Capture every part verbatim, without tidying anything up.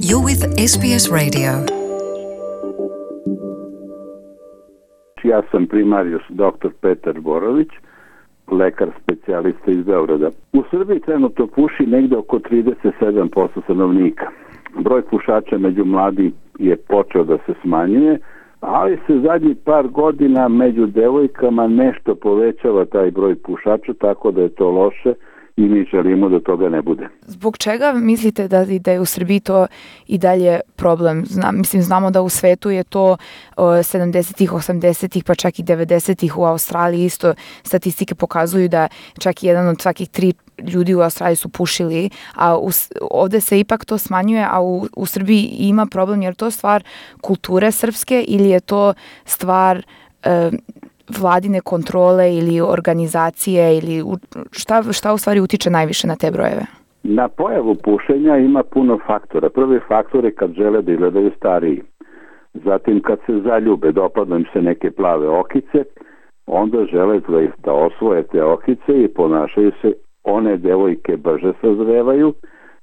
You're with S B S Radio. Ja sam primarius doktor Petar Borović, lekar specijalista iz Beograda. U Srbiji trenutno puši negde oko trideset sedam posto stanovnika. Broj pušača među mladim je počeo da se smanjuje, ali se zadnjih par godina među devojkama nešto povećava taj broj pušača, tako da je to loše i mi želimo da toga ne bude. Zbog čega mislite da, da je u Srbiji to i dalje problem? Znam, mislim, znamo da u svetu je to o, sedamdesetih, osamdesetih, pa čak i devedesetih u Australiji isto statistike pokazuju da čak jedan od svakih tri ljudi u Australiji su pušili, a u, ovde se ipak to smanjuje, a u, u Srbiji ima problem, jer to stvar kulture srpske ili je to stvar e, vladine kontrole ili organizacije ili šta, šta u stvari utiče najviše na te brojeve? Na pojavu pušenja ima puno faktora. Prvi faktor je kad žele da izgledaju stariji. Zatim kad se zaljube, dopadnu im se neke plave okice, onda žele da osvoje te okice i ponašaju se, one devojke brže sazrevaju,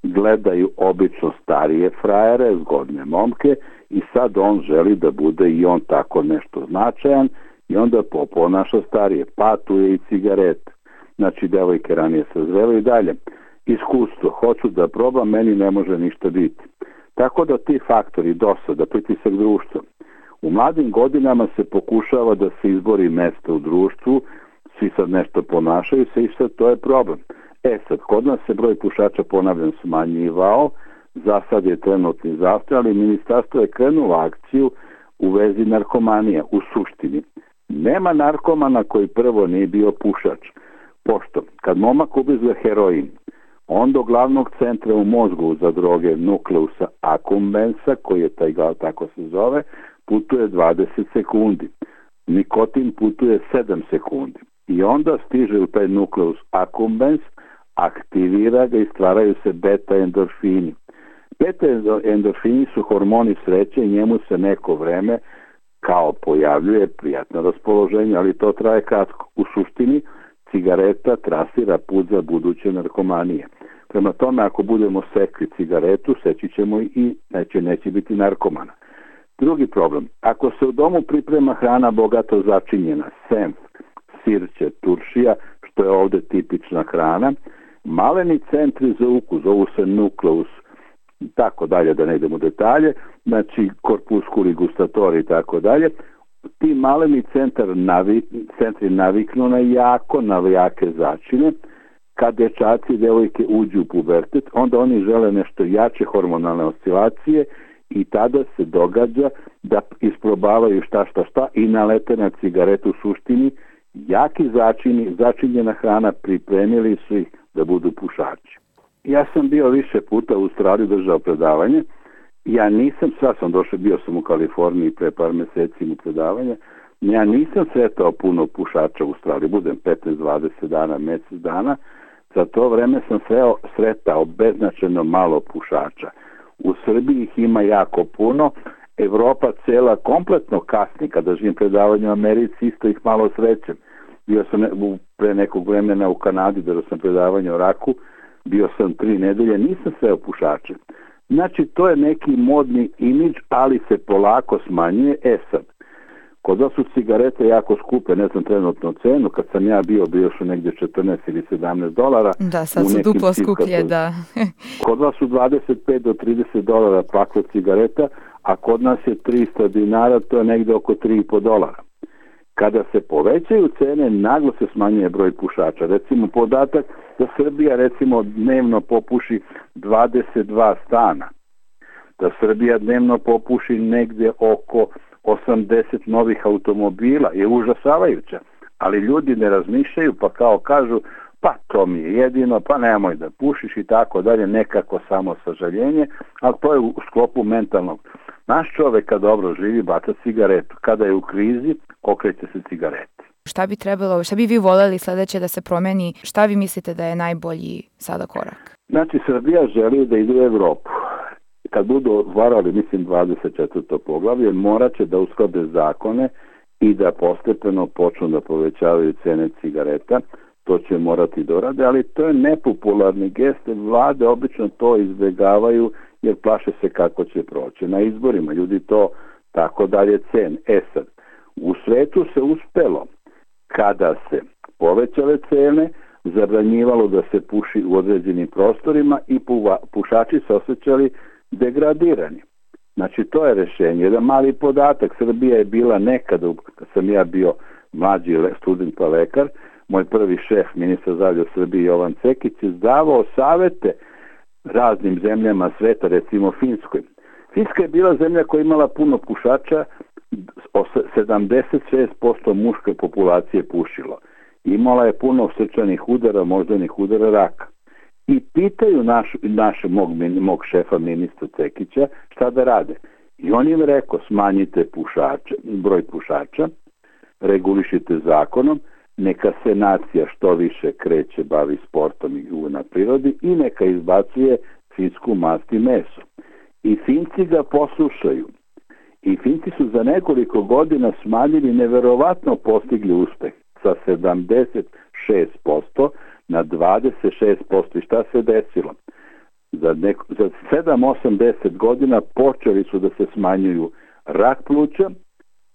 gledaju obično starije frajere, zgodne momke i sad on želi da bude i on tako nešto značajan i onda ponaša starije. Pa tu je i cigaret. Znači, devojke ranije sazrevaju i dalje. Iskustvo, hoću da probam, meni ne može ništa biti. Tako da ti faktori, dosada, pritisak društva. U mladim godinama se pokušava da se izbori mesto u društvu, svi sad nešto ponašaju se i sad to je problem. E sad, kod nas se broj pušača, ponavljam, smanjivao, za sad je trenutni zastoj, ali ministarstvo je krenulo akciju u vezi narkomanija, u suštini. Nema narkomana koji prvo nije bio pušač, pošto kad momak ubizve heroin, on do glavnog centra u mozgu za droge nukleusa accumbens-a, koji je taj, tako se zove, putuje dvadeset sekundi. Nikotin putuje sedam sekundi. I onda stiže u taj nukleus accumbens, aktivira ga i stvaraju se beta endorfini. Beta endorfini su hormoni sreće i njemu se neko vreme kao pojavljuje prijatno raspoloženje, ali to traje kratko. U suštini, cigareta trasira put za buduće narkomanije. Prema tome, ako budemo sekli cigaretu, seći ćemo i neće, neće biti narkomana. Drugi problem, ako se u domu priprema hrana bogato začinjena, senf, sirće, turšija, što je ovde tipična hrana, maleni centri za ukus, zovu se nukleus, tako dalje, da ne idemo u detalje, znači korpuskuli gustatori i tako dalje, ti maleni centar navi, centri naviknu na jako, na jake začine. Kad dečaci i devojke uđu u pubertet, onda oni žele nešto jače hormonalne oscilacije i tada se događa da isprobavaju šta šta šta i nalete na cigaretu. U suštini, jaki začini, začinjena hrana, pripremili su ih da budu pušači. Ja sam bio više puta u Australiji, držao predavanje. Ja nisam, sad sam došao, bio sam u Kaliforniji pre par meseci u predavanje. Ja nisam sretao puno pušača u Australiji, budem petnaest dvadeset dana, mesec dana. Za to vreme sam sreo, sretao beznačajno malo pušača. U Srbiji ih ima jako puno. Evropa cela kompletno kasni. Kada živim predavanje u Americi, isto ih malo srećem. Bio sam pre nekog vremena u Kanadi, držao sam predavanje o raku. Bio sam tri nedelje, nisam sreo pušače. Znači, to je neki modni imidž, ali se polako smanjuje. E sad, kod vas su cigarete jako skupe, ne znam trenutno cenu, kad sam ja bio, bio su negdje četrnaest ili sedamnaest dolara. Da, sad su duplo skuplje, da. Kod vas su dvadeset pet do trideset dolara pakla cigareta, a kod nas je tristo dinara, to je negdje oko tri i po dolara. Kada se povećaju cene, naglo se smanjuje broj pušača. Recimo, podatak da Srbija recimo dnevno popuši dvadeset dva stana. Da Srbija dnevno popuši negdje oko osamdeset novih automobila je užasavajuća. Ali ljudi ne razmišljaju, pa kao kažu, pa to mi je jedino, pa nemoj da pušiš i tako dalje, nekako samo sažaljenje, ali to je u sklopu mentalnog. Naš čovek kad dobro živi baca cigaretu, kada je u krizi okreće se cigareti. Šta bi trebalo, šta bi vi voljeli sledeće da se promeni, šta vi mislite da je najbolji sada korak? Znači, Srbija želi da ide u Evropu. Kad budu otvarali, mislim, dvadeset četvrto poglavlje, morat će da usklade zakone i da postepeno počnu da povećavaju cene cigareta. To će morati dorade, ali to je nepopularni gest. Vlade obično to izbegavaju jer plaše se kako će proći na izborima. Ljudi to tako dalje cene. E sad, u svetu se uspelo kada se povećale cene, zabranjivalo da se puši u određenim prostorima i pušači se osjećali degradirani. Znači, to je rešenje. Jedan mali podatak, Srbija je bila nekada, kad sam ja bio mlađi student pa lekar, moj prvi šef, ministar zdravlja Srbije Jovan Cekić, je davao savete raznim zemljama sveta, recimo Finskoj. Finska je bila zemlja koja je imala puno pušača, sedamdeset šest posto muške populacije pušilo. Imala je puno srčanih udara, moždanih udara, raka. I pitaju naš, naš, mog, mog šefa ministra Cekića šta da rade. I on im rekao, smanjite pušače, broj pušača, regulišite zakonom, neka se nacija što više kreće, bavi sportom i na prirodi i neka izbacuje finsku mast i meso. I Finci ga poslušaju. I Finci su za nekoliko godina smanjili, neverovatno postigli uspeh sa sedamdeset šest posto na dvadeset šest posto. I šta se desilo? Za, neko, za sedam osam deset godina počeli su da se smanjuju rak pluća,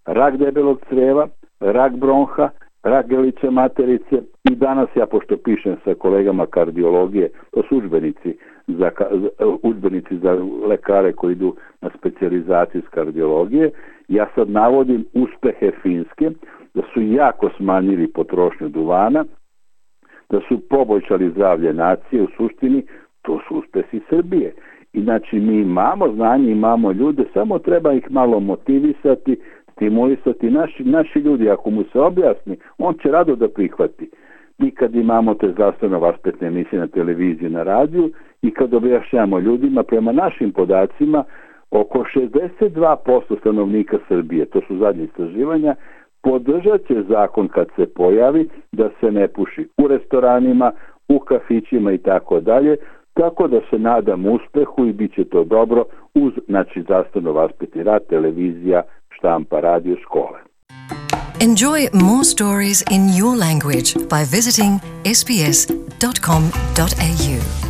rak debelog creva, rak bronha, rak grlića materice i danas ja, pošto pišem sa kolegama kardiologije, to su udžbenici za, udžbenici za lekare koji idu na specijalizaciju iz kardiologije, ja sad navodim uspehe Finske, da su jako smanjili potrošnju duvana, da su poboljšali zdravlje nacije, u suštini to su uspesi Srbije. I znači mi imamo znanje, imamo ljude, samo treba ih malo motivisati, stimulisati. Naši, naši ljudi, ako mu se objasni, on će rado da prihvati. Mi kad imamo te zdravstveno vaspitne emisije na televiziji, na radiju i kad objašnjamo ljudima, prema našim podacima, oko šezdeset dva posto stanovnika Srbije, to su zadnje istraživanja, podržat će zakon kad se pojavi da se ne puši u restoranima, u kafićima i tako dalje, tako da se nadam uspehu i bit će to dobro uz, znači, zdravstveno vaspitni rad, televizija, štampa, radio, škole. Enjoy more stories in your language by visiting s b s dot com dot a u.